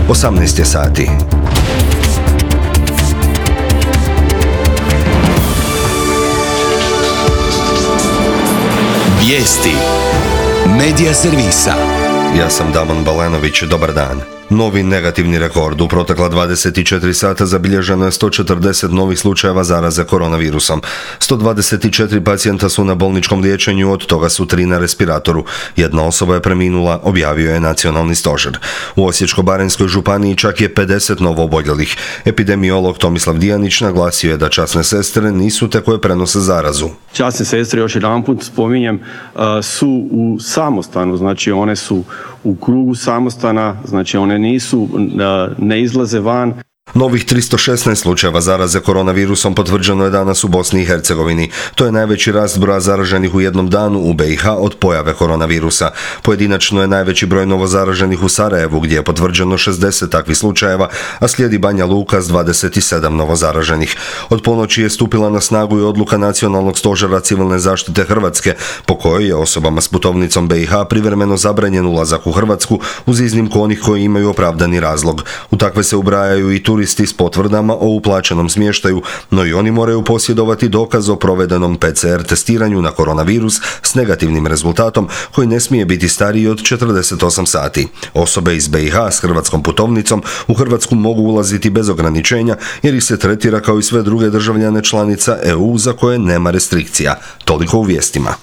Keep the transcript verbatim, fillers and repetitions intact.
osamnaest je sati. Vijesti Medija servisa. Ja sam Damon Balenović, dobar dan. Novi negativni rekord. U protekla dvadeset četiri sata zabilježeno je sto četrdeset novih slučajeva zaraze koronavirusom. sto dvadeset četiri pacijenta su na bolničkom liječenju, od toga su tri na respiratoru. Jedna osoba je preminula, objavio je nacionalni stožer. U Osječko-baranjskoj županiji čak je pedeset novooboljelih. Epidemiolog Tomislav Dijanić naglasio je da časne sestre nisu te koje prenose zarazu. Časne sestre, još jedanput spominjem, su u samostanu, znači one su u krugu samostana, znači one nisu, ne izlaze van. Novih tristo šesnaest slučajeva zaraze koronavirusom potvrđeno je danas u Bosni i Hercegovini. To je najveći rast broja zaraženih u jednom danu u be i ha od pojave koronavirusa. Pojedinačno je najveći broj novozaraženih u Sarajevu, gdje je potvrđeno šezdeset takvih slučajeva, a slijedi Banja Luka s dvadeset sedam novozaraženih. Od ponoći je stupila na snagu i odluka Nacionalnog stožera civilne zaštite Hrvatske, po kojoj je osobama s putovnicom be i ha privremeno zabranjen ulazak u Hrvatsku, uz iznimku onih koji imaju opravdani razlog. U takve se ubrajaju i turisti s potvrdama o uplaćenom smještaju, no i oni moraju posjedovati dokaz o provedenom pe ce er testiranju na koronavirus s negativnim rezultatom koji ne smije biti stariji od četrdeset osam sati. Osobe iz be i ha s hrvatskom putovnicom u Hrvatsku mogu ulaziti bez ograničenja jer ih se tretira kao i sve druge državljane članica e u za koje nema restrikcija. Toliko u vijestima.